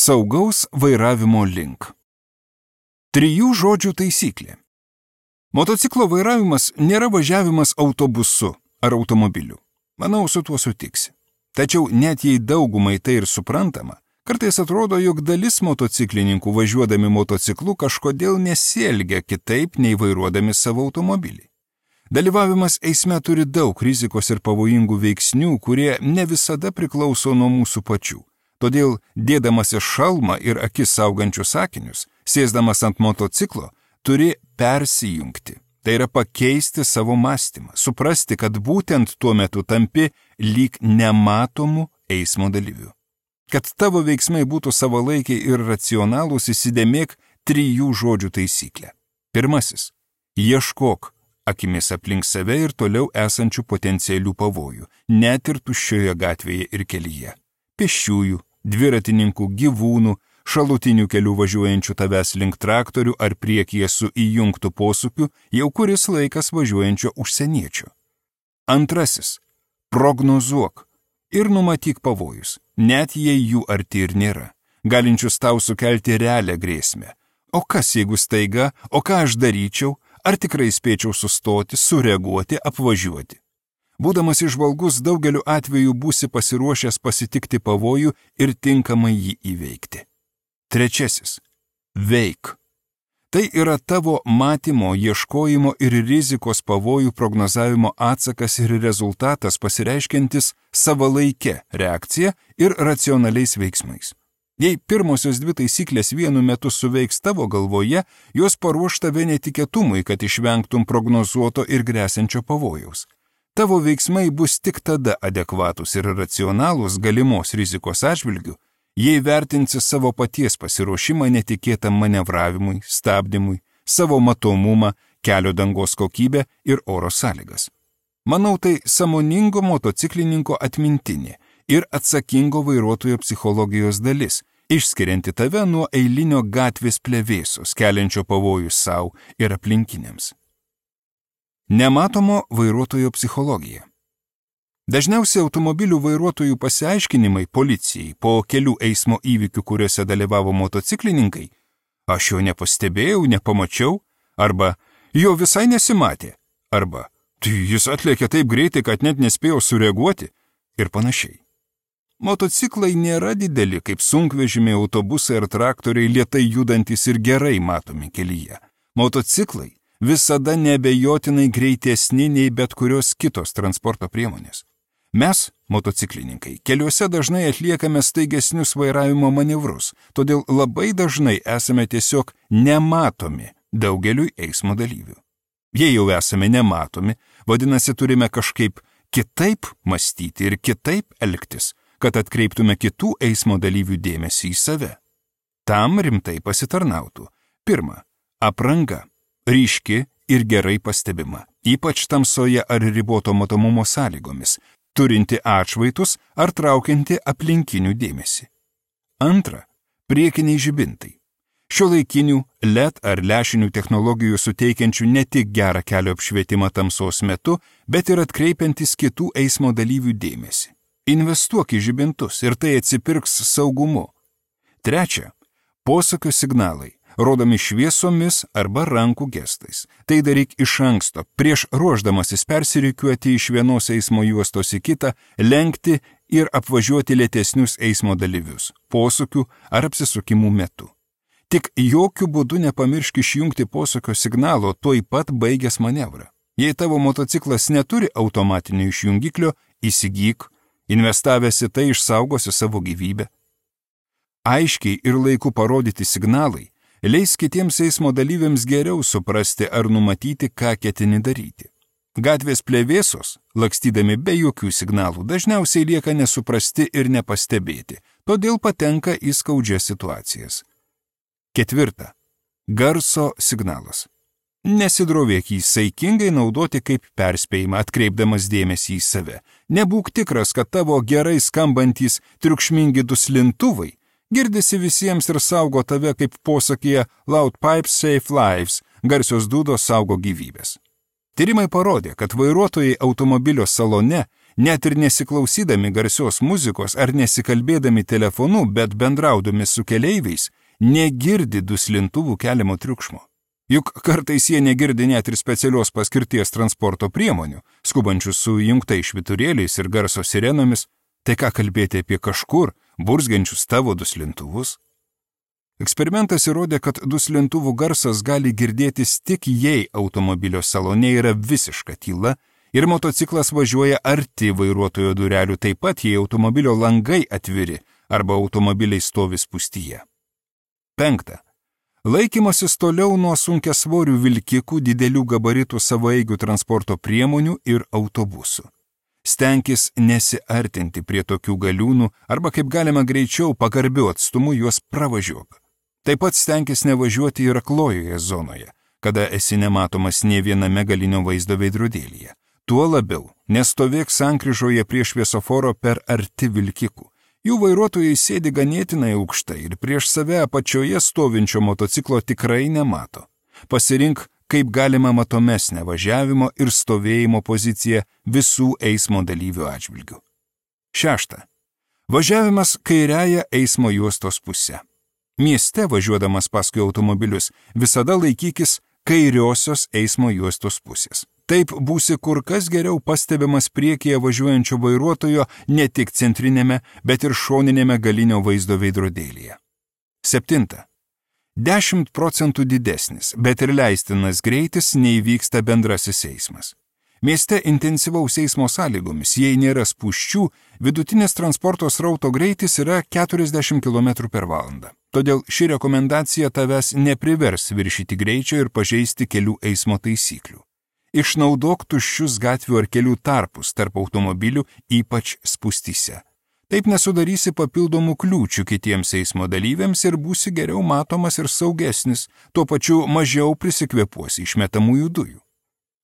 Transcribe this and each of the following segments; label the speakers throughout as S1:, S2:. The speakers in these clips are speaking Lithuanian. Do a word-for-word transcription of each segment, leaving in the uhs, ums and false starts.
S1: Saugaus vairavimo link. Trijų žodžių taisyklė. Motociklo vairavimas nėra važiavimas autobusu ar automobiliu. Manau, su tuo sutiksi. Tačiau net jei daugumai tai ir suprantama, kartais atrodo, jog dalis motociklininkų važiuodami motociklu kažkodėl nesielgia kitaip nei vairuodami savo automobilį. Dalyvavimas eisme turi daug rizikos ir pavojingų veiksnių, kurie ne visada priklauso nuo mūsų pačių. Todėl, dėdamasis šalmą ir akis saugančius akinius, sėsdamas ant motociklo, turi persijungti. Tai yra pakeisti savo mąstymą, suprasti, kad būtent tuo metu tampi lyg nematomų eismo dalyvių. Kad tavo veiksmai būtų savalaikiai ir racionalūs, įsidėmėk trijų žodžių taisyklę. Pirmasis. Ieškok akimis aplink save ir toliau esančių potencialių pavojų, net ir tuščioje gatvėje ir kelyje. Pėsčiųjų, dviratininkų, gyvūnų, šalutinių kelių važiuojančių tavęs link traktorių ar priekyje su įjungtų posūkiu jau kuris laikas važiuojančio užsieniečio. Antrasis. Prognozuok ir numatyk pavojus, net jei jų arti ir nėra, galinčius tau sukelti realią grėsmę. O kas jeigu staiga, o ką aš daryčiau, ar tikrai spėčiau sustoti, sureaguoti, apvažiuoti? Būdamas įžvalgus, daugeliu atveju būsi pasiruošęs pasitikti pavojų ir tinkamai jį įveikti. Trečiasis. Veik. Tai yra tavo matymo, ieškojimo ir rizikos pavojų prognozavimo atsakas ir rezultatas pasireiškiantis savalaike reakcija ir racionaliais veiksmais. Jei pirmosios dvi taisyklės vienu metu suveiks tavo galvoje, jos paruoš tave netikėtumui, kad išvengtum prognozuoto ir gresiančio pavojaus. Tavo veiksmai bus tik tada adekvatus ir racionalūs galimos rizikos atžvilgių, jei vertinsi savo paties pasiruošimą netikėtam manevravimui, stabdymui, savo matomumą, kelio dangos kokybę ir oro sąlygas. Manau, tai sąmoningo motociklininko atmintinė ir atsakingo vairuotojo psichologijos dalis, išskirianti tave nuo eilinio gatvės plevėsos, keliančio pavojų sau ir aplinkiniams. Nematomo vairuotojo psichologija. Dažniausiai automobilių vairuotojų pasiaiškinimai policijai po kelių eismo įvykių, kuriuose dalyvavo motociklininkai, aš jo nepastebėjau, nepamačiau, arba jo visai nesimatė, arba tai jis atlėkė taip greitai, kad net nespėjo sureaguoti ir panašiai. Motociklai nėra dideli kaip sunkvežimiai, autobusai ar traktoriai lėtai judantis ir gerai matomi kelyje. Motociklai visada neabejotinai greitesni nei bet kurios kitos transporto priemonės. Mes, motociklininkai, keliuose dažnai atliekame staigesnius vairavimo manevrus, todėl labai dažnai esame tiesiog nematomi daugeliui eismo dalyvių. Jei jau esame nematomi, vadinasi turime kažkaip kitaip mąstyti ir kitaip elgtis, kad atkreiptume kitų eismo dalyvių dėmesį į save. Tam rimtai pasitarnautų. Pirma, apranga. Ryški ir gerai pastebima, ypač tamsoje ar riboto matomumo sąlygomis, turinti atšvaitus ar traukianti aplinkinių dėmesį. Antra, priekiniai žibintai. Šiuolaikinių L E D ar lęšinių technologijų suteikiančių ne tik gerą kelio apšvietimą tamsos metu, bet ir atkreipiantis kitų eismo dalyvių dėmesį. Investuok į žibintus ir tai atsipirks saugumu. Trečia, posūkio signalai. Rodomi šviesomis arba rankų gestais. Tai daryk iš anksto, prieš ruošdamasis persirikiuoti iš vienos eismo juostos į kitą, lenkti ir apvažiuoti lėtesnius eismo dalyvius, posūkių ar apsisukimų metu. Tik jokių būdų nepamiršk išjungti posūkio signalo tuoj pat baigęs manevrą. Jei tavo motociklas neturi automatinio išjungiklio, įsigyk, investavęs į tai išsaugosi savo gyvybę. Aiškiai ir laiku parodyti signalai leis kitiems eismo dalyviams geriau suprasti ar numatyti, ką ketini daryti. Gatvės plevėsos, lakstydami be jokių signalų, dažniausiai lieka nesuprasti ir nepastebėti, todėl patenka į skaudžias situacijas. Ketvirta. Garso signalas. Nesidrovėk jį saikingai naudoti kaip perspėjimą, atkreipdamas dėmesį į save. Nebūk tikras, kad tavo gerai skambantys triukšmingi duslintuvai girdisi visiems ir saugo tave kaip posakyje Loud Pipes Save Lives, garsios dūdos saugo gyvybės. Tyrimai parodė, kad vairuotojai automobilio salone net ir nesiklausydami garsios muzikos ar nesikalbėdami telefonu, bet bendraudami su keleiviais, negirdi duslintuvų keliamo triukšmo. Juk kartais jie negirdi net ir specialios paskirties transporto priemonių, skubančius su įjungtais švyturėliais ir garso sirenomis, tai ką kalbėti apie kažkur, burzgiančius tavo duslintuvus? Eksperimentas įrodė, kad duslintuvų garsas gali girdėtis tik jei automobilio salone yra visiška tyla ir motociklas važiuoja arti vairuotojo durelių, taip pat jei automobilio langai atviri arba automobiliai stovi spūstyje. Penkta. Laikymasis toliau nuo sunkiasvorių vilkikų, didelių gabaritų savaeigių transporto priemonių ir autobusų. Stenkis nesiartinti prie tokių galiūnų arba kaip galima greičiau pagarbiu atstumu juos pravažiuok. Taip pat stenkis nevažiuoti ir aklojoje zonoje, kada esi nematomas nė viename galinio vaizdo veidrodėlyje. Tuo labiau, nestovėk sankryžoje prie šviesoforo per arti vilkikų. Jų vairuotojai sėdi ganėtinai aukštai ir prieš save apačioje stovinčio motociklo tikrai nemato. Pasirink kaip galima matomesnę važiavimo ir stovėjimo poziciją visų eismo dalyvių atžvilgių. Šešta. Važiavimas kairiąja eismo juostos pusė. Mieste važiuodamas paskui automobilius visada laikykis kairiosios eismo juostos pusės. Taip būsi kur kas geriau pastebimas priekyje važiuojančio vairuotojo ne tik centrinėme, bet ir šoninėme galinio vaizdo veidrodėlyje. Septinta. dešimt procentų didesnis, bet ir leistinas greitis neįvyksta bendrasis eismas. Mieste intensyvaus eismo sąlygomis, jei nėra spūsčių, vidutinis transporto srauto greitis yra keturiasdešimt kilometrų per valandą. Todėl ši rekomendacija tavęs neprivers viršyti greičio ir pažeisti kelių eismo taisyklių. Išnaudok tuščius gatvių ar kelių tarpus tarp automobilių, ypač spūstyse. Taip nesudarysi papildomų kliūčių kitiems eismo dalyviams ir būsi geriau matomas ir saugesnis, tuo pačiu mažiau prisikvėpuosi išmetamųjų dujų.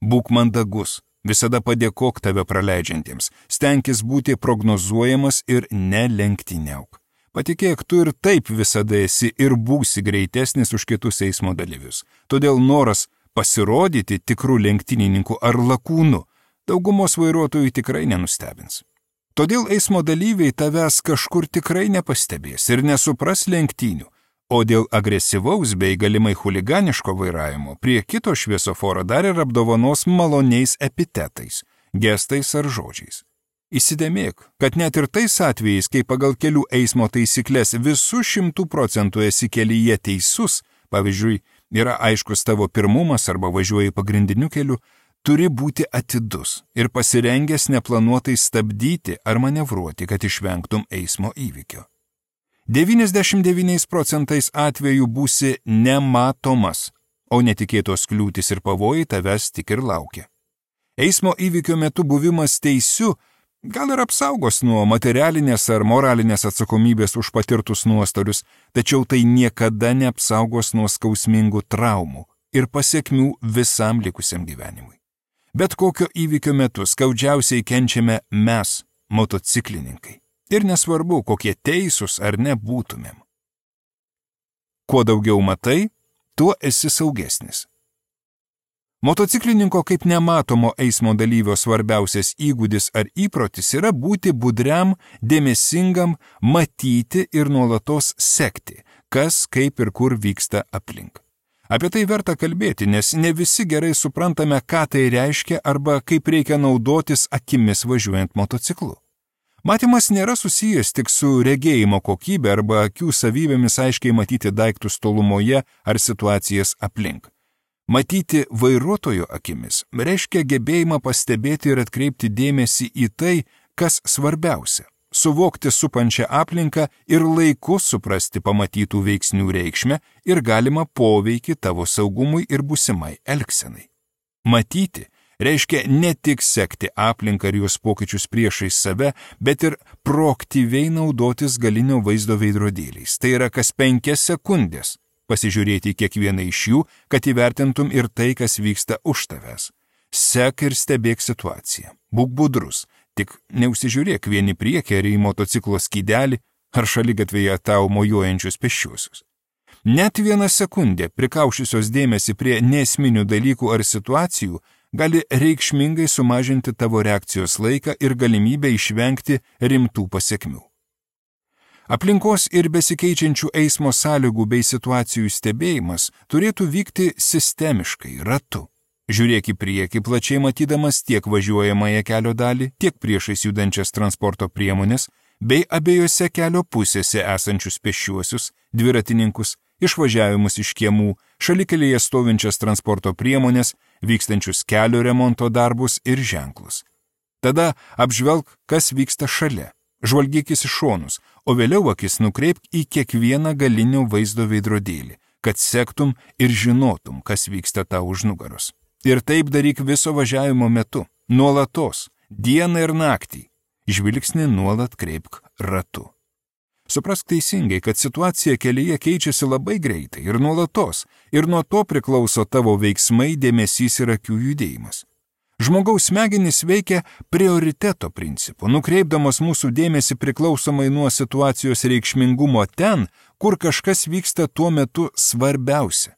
S1: Būk mandagus, visada padėkok tave praleidžiantiems, stenkis būti prognozuojamas ir nelenktyniauk. Patikėk, tu ir taip visada esi ir būsi greitesnis už kitus eismo dalyvius. Todėl noras pasirodyti tikrų lenktynininkų ar lakūnų daugumos vairuotojų tikrai nenustebins. Todėl eismo dalyviai tavęs kažkur tikrai nepastebės ir nesupras lenktynių, o dėl agresyvaus bei galimai chuliganiško vairavimo prie kito šviesoforo dar ir apdovanos maloniais epitetais, gestais ar žodžiais. Įsidėmėk, kad net ir tais atvejais, kai pagal kelių eismo taisyklės visų šimtų procentų esi kelyje teisus, pavyzdžiui, yra aiškus tavo pirmumas arba važiuoji pagrindiniu keliu, turi būti atidus ir pasirengęs neplanuotai stabdyti ar manevruoti, kad išvengtum eismo įvykio. devyniasdešimt devyniais procentais atvejų būsi nematomas, o netikėtos kliūtis ir pavojai tavęs tik ir laukia. Eismo įvykio metu buvimas teisiu gal ir apsaugos nuo materialinės ar moralinės atsakomybės už patirtus nuostolius, tačiau tai niekada neapsaugos nuo skausmingų traumų ir pasekmių visam likusiam gyvenimui. Bet kokio įvykio metu skaudžiausiai kenčiame mes, motociklininkai. Ir nesvarbu, kokie teisūs ar nebūtumėm. Kuo daugiau matai, tuo esi saugesnis. Motociklininko kaip nematomo eismo dalyvio svarbiausias įgūdis ar įprotis yra būti budriam, dėmesingam, matyti ir nuolatos sekti, kas, kaip ir kur vyksta aplink. Apie tai verta kalbėti, nes ne visi gerai suprantame, ką tai reiškia arba kaip reikia naudotis akimis važiuojant motociklu. Matymas nėra susijęs tik su regėjimo kokybė arba akių savybėmis aiškiai matyti daiktus tolumoje ar situacijas aplink. Matyti vairuotojo akimis reiškia gebėjimą pastebėti ir atkreipti dėmesį į tai, kas svarbiausia. Suvokti supančią aplinką ir laiku suprasti pamatytų veiksnių reikšmę ir galimą poveikį tavo saugumui ir būsimai elgsenai. Matyti reiškia ne tik sekti aplinką ir jos pokyčius priešais save, bet ir proaktyviai naudotis galinio vaizdo veidrodėliais. Tai yra kas penkias sekundės pasižiūrėti kiekvieną iš jų, kad įvertintum ir tai, kas vyksta už tavęs. Sek ir stebėk situaciją. Būk budrus. Tik neužsižiūrėk vieni priekį ar į motociklo skydelį ar šaligatvėje tau mojuojančius pėsčiuosius. Net vieną sekundę prikaušusios dėmesį prie neesminių dalykų ar situacijų gali reikšmingai sumažinti tavo reakcijos laiką ir galimybę išvengti rimtų pasekmių. Aplinkos ir besikeičiančių eismo sąlygų bei situacijų stebėjimas turėtų vykti sistemiškai, ratu. Žiūrėk į priekį, plačiai matydamas tiek važiuojamąją kelio dalį, tiek priešais judančias transporto priemonės, bei abiejose kelio pusėse esančius pėsčiuosius, dviratininkus, išvažiavimus iš kiemų, šalikelėje stovinčias transporto priemonės, vykstančius kelio remonto darbus ir ženklus. Tada apžvelk, kas vyksta šalia, žvalgykis į šonus, o vėliau akis nukreipk į kiekvieną galinio vaizdo veidrodėlį, kad sektum ir žinotum, kas vyksta tau už nugaros. Ir taip daryk viso važiavimo metu, nuolatos, dieną ir naktį. Žvilgsnį nuolat kreipk ratu. Suprask teisingai, kad situacija kelyje keičiasi labai greitai ir nuolatos, ir nuo to priklauso tavo veiksmai, dėmesys ir akių judėjimas. Žmogaus smegenys veikia prioriteto principu, nukreipdamas mūsų dėmesį priklausomai nuo situacijos reikšmingumo ten, kur kažkas vyksta tuo metu svarbiausia.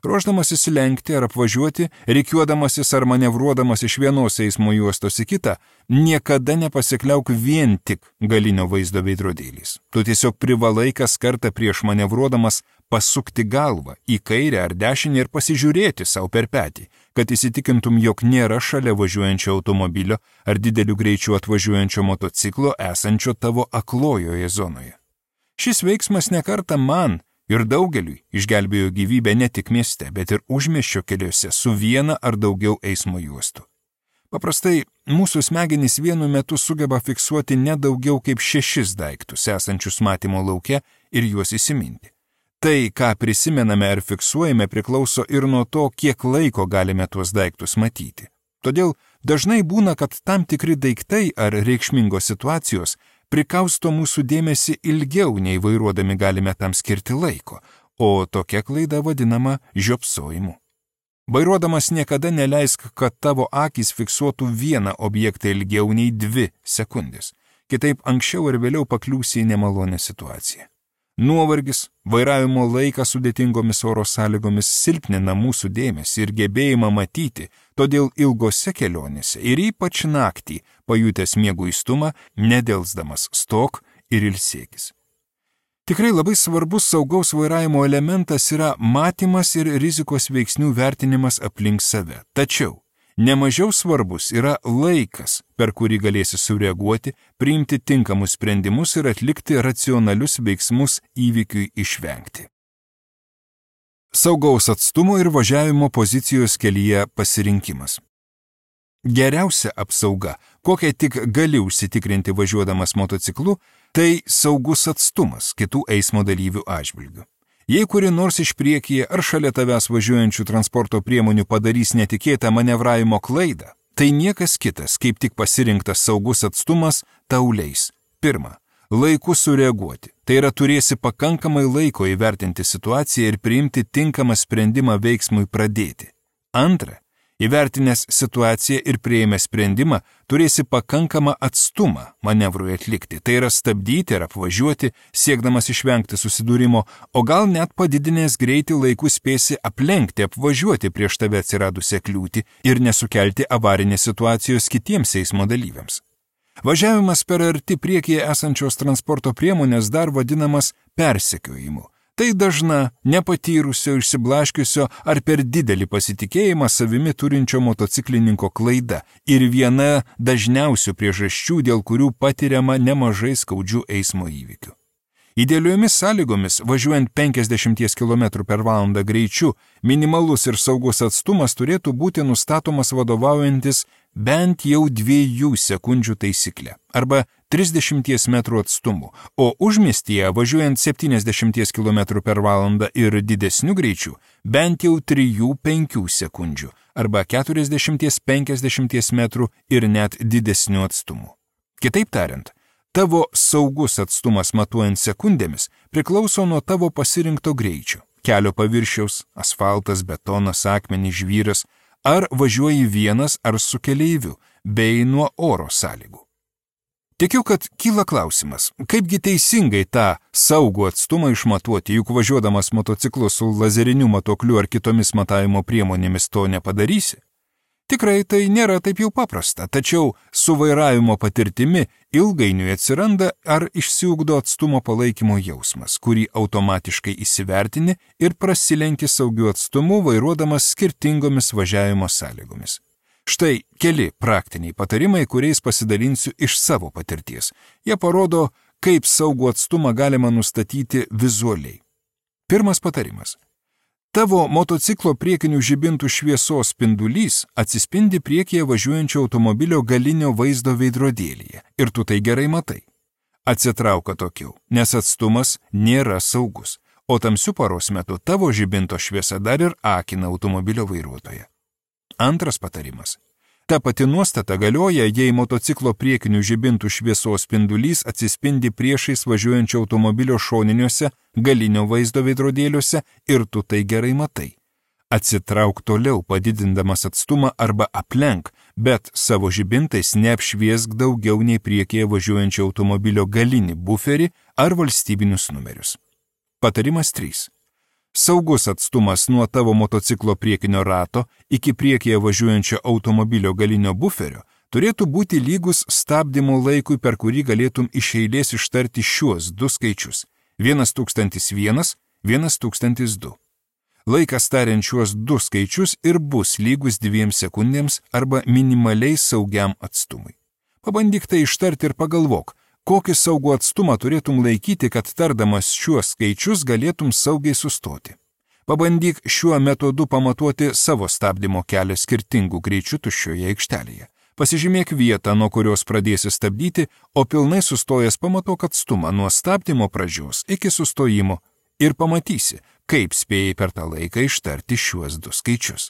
S1: Ruošdamasis lenkti ar apvažiuoti, rikiuodamasis ar manevruodamas iš vienos eismo juostos į kitą, niekada nepasikliauk vien tik galinio vaizdo veidrodėliais. Tu tiesiog privalai kas kartą prieš manevruodamas pasukti galvą į kairę ar dešinę ir pasižiūrėti savo per petį, kad įsitikintum, jog nėra šalia važiuojančio automobilio ar dideliu greičiu atvažiuojančio motociklo esančio tavo aklojoje zonoje. Šis veiksmas nekartą man ir daugeliui išgelbėjo gyvybę ne tik mieste, bet ir užmiesčio keliuose su viena ar daugiau eismo juostų. Paprastai, mūsų smegenys vienu metu sugeba fiksuoti nedaugiau kaip šešis daiktus esančius matymo lauke ir juos įsiminti. Tai, ką prisimename ar fiksuojame, priklauso ir nuo to, kiek laiko galime tuos daiktus matyti. Todėl dažnai būna, kad tam tikri daiktai ar reikšmingos situacijos prikausto mūsų dėmesį ilgiau, nei vairuodami galime tam skirti laiko, o tokia klaida vadinama žiopsojimu. Vairuodamas niekada neleisk, kad tavo akys fiksuotų vieną objektą ilgiau nei dvi sekundės. Kitaip anksčiau ar vėliau pakliūsi į nemalonę situaciją. Nuovargis, vairavimo laikas sudėtingomis oro sąlygomis silpnina mūsų dėmesį ir gebėjimą matyti, todėl ilgose kelionėse ir ypač naktį, pajutęs mieguistumą, nedelsdamas stok ir ilsėkis. Tikrai labai svarbus saugaus vairavimo elementas yra matymas ir rizikos veiksnių vertinimas aplink save. Tačiau nemažiau svarbus yra laikas, per kurį galėsi sureaguoti, priimti tinkamus sprendimus ir atlikti racionalius veiksmus įvykiui išvengti. Saugaus atstumo ir važiavimo pozicijos kelyje pasirinkimas. Geriausia apsauga, kokią tik gali užsitikrinti važiuodamas motociklu, tai saugus atstumas kitų eismo dalyvių atžvilgių. Jei kuri nors iš priekyje ar šalia tavęs važiuojančių transporto priemonių padarys netikėtą manevravimo klaidą, tai niekas kitas, kaip tik pasirinktas saugus atstumas, tau leis. Pirma, laiku sureaguoti. Tai yra turėsi pakankamai laiko įvertinti situaciją ir priimti tinkamą sprendimą veiksmui pradėti. Antra, įvertinęs situaciją ir priėmęs sprendimą, turėsi pakankamą atstumą manevrui atlikti, tai yra stabdyti ar apvažiuoti, siekdamas išvengti susidūrimo, o gal net padidinęs greitį laiku spėsi aplenkti, apvažiuoti prieš tave atsiradusią kliūtį ir nesukelti avarinės situacijos kitiems eismo dalyviams. Važiavimas per arti priekyje esančios transporto priemonės dar vadinamas persekiojimu. Tai dažna, nepatyrusio, išsiblaškiusio ar per didelį pasitikėjimą savimi turinčio motociklininko klaida ir viena dažniausių priežasčių, dėl kurių patiriama nemažai skaudžių eismo įvykių. Idealiomis sąlygomis, važiuojant penkiasdešimt kilometrų per valandą greičiu, minimalus ir saugus atstumas turėtų būti nustatomas vadovaujantis bent jau dviejų sekundžių taisyklę arba trisdešimt metrų atstumu, o užmiestyje važiuojant septyniasdešimt kilometrų per valandą ir didesniu greičiu bent jau trijų penkių sekundžių arba keturiasdešimt penkiasdešimt metrų ir net didesniu atstumu. Kitaip tariant, tavo saugus atstumas matuojant sekundėmis priklauso nuo tavo pasirinkto greičio, kelio paviršiaus, asfaltas, betonas, akmenys, žvyras, ar važiuoji vienas ar su keleiviu, bei nuo oro sąlygų. Tikiu, kad kyla klausimas, kaipgi teisingai tą saugų atstumą išmatuoti, juk važiuodamas motociklu su lazeriniu matuokliu ar kitomis matavimo priemonėmis to nepadarysi. Tikrai tai nėra taip jau paprasta, tačiau su vairavimo patirtimi ilgainiui atsiranda ar išsiugdo atstumo palaikymo jausmas, kurį automatiškai įsivertini ir prasilenki saugiu atstumu vairuodamas skirtingomis važiavimo sąlygomis. Štai keli praktiniai patarimai, kuriais pasidalinsiu iš savo patirties. Jie parodo, kaip saugų atstumą galima nustatyti vizualiai. Pirmas patarimas. Tavo motociklo priekinių žibintų šviesos spindulys atsispindi priekyje važiuojančio automobilio galinio vaizdo veidrodėlyje ir tu tai gerai matai. Atsitrauk atokiau, nes atstumas nėra saugus, o tamsiu paros metu tavo žibinto šviesa dar ir akina automobilio vairuotoją. Antras patarimas. Ta pati nuostata galioja, jei motociklo priekinių žibintų šviesos spindulys atsispindi priešais važiuojančio automobilio šoniniuose galinio vaizdo veidrodėliuose ir tu tai gerai matai. Atsitrauk toliau, padidindamas atstumą arba aplenk, bet savo žibintais neapšviesk daugiau nei priekyje važiuojančio automobilio galinį buferį ar valstybinius numerius. Patarimas trys. Saugus atstumas nuo tavo motociklo priekinio rato iki priekyje važiuojančio automobilio galinio buferio turėtų būti lygus stabdymo laikui, per kurį galėtum iš eilės ištarti šiuos du skaičius – vienas tūkstantis vienas, vienas tūkstantis du. Laikas tariant šiuos du skaičius ir bus lygus dviem sekundėms arba minimaliai saugiam atstumui. Pabandyk tai ištarti ir pagalvok, kokį saugų atstumą turėtum laikyti, kad tardamas šiuos skaičius galėtum saugiai sustoti. Pabandyk šiuo metodu pamatuoti savo stabdymo kelią skirtingų greičių tuščioje aikštelėje. Pasižymėk vietą, nuo kurios pradėsi stabdyti, o pilnai sustojęs pamatuok atstumą nuo stabdymo pradžios iki sustojimo ir pamatysi, kaip spėjai per tą laiką ištarti šiuos du skaičius.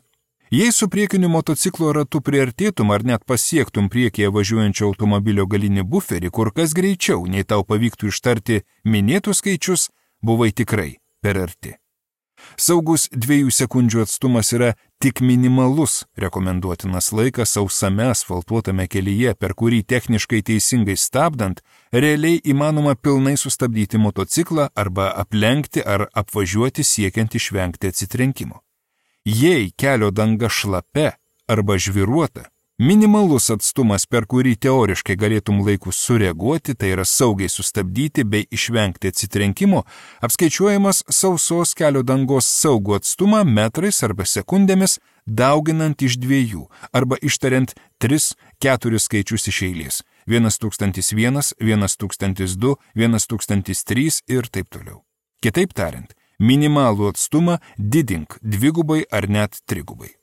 S1: Jei su priekiniu motociklo ratu priartėtum ar net pasiektum priekyje važiuojančio automobilio galinį buferį kur kas greičiau, nei tau pavyktų ištarti minėtus skaičius, buvai tikrai per arti. Saugus dviejų sekundžių atstumas yra tik minimalus rekomenduotinas laikas sausame asfaltuotame kelyje, per kurį techniškai teisingai stabdant, realiai įmanoma pilnai sustabdyti motociklą arba aplenkti ar apvažiuoti siekiant išvengti atsitrenkimo. Jei kelio danga šlapia arba žviruota, minimalus atstumas, per kurį teoriškai galėtum laiku sureaguoti, tai yra saugiai sustabdyti bei išvengti atsitrenkimo, apskaičiuojamas sausos kelio dangos saugų atstumą metrais arba sekundėmis, dauginant iš dviejų arba ištariant tris, keturis skaičius iš eilės – vienas tūkstantis vienas, vienas tūkstantis du, vienas tūkstantis trys ir taip toliau. Kitaip tariant, minimalų atstumą didink dvigubai ar net trigubai.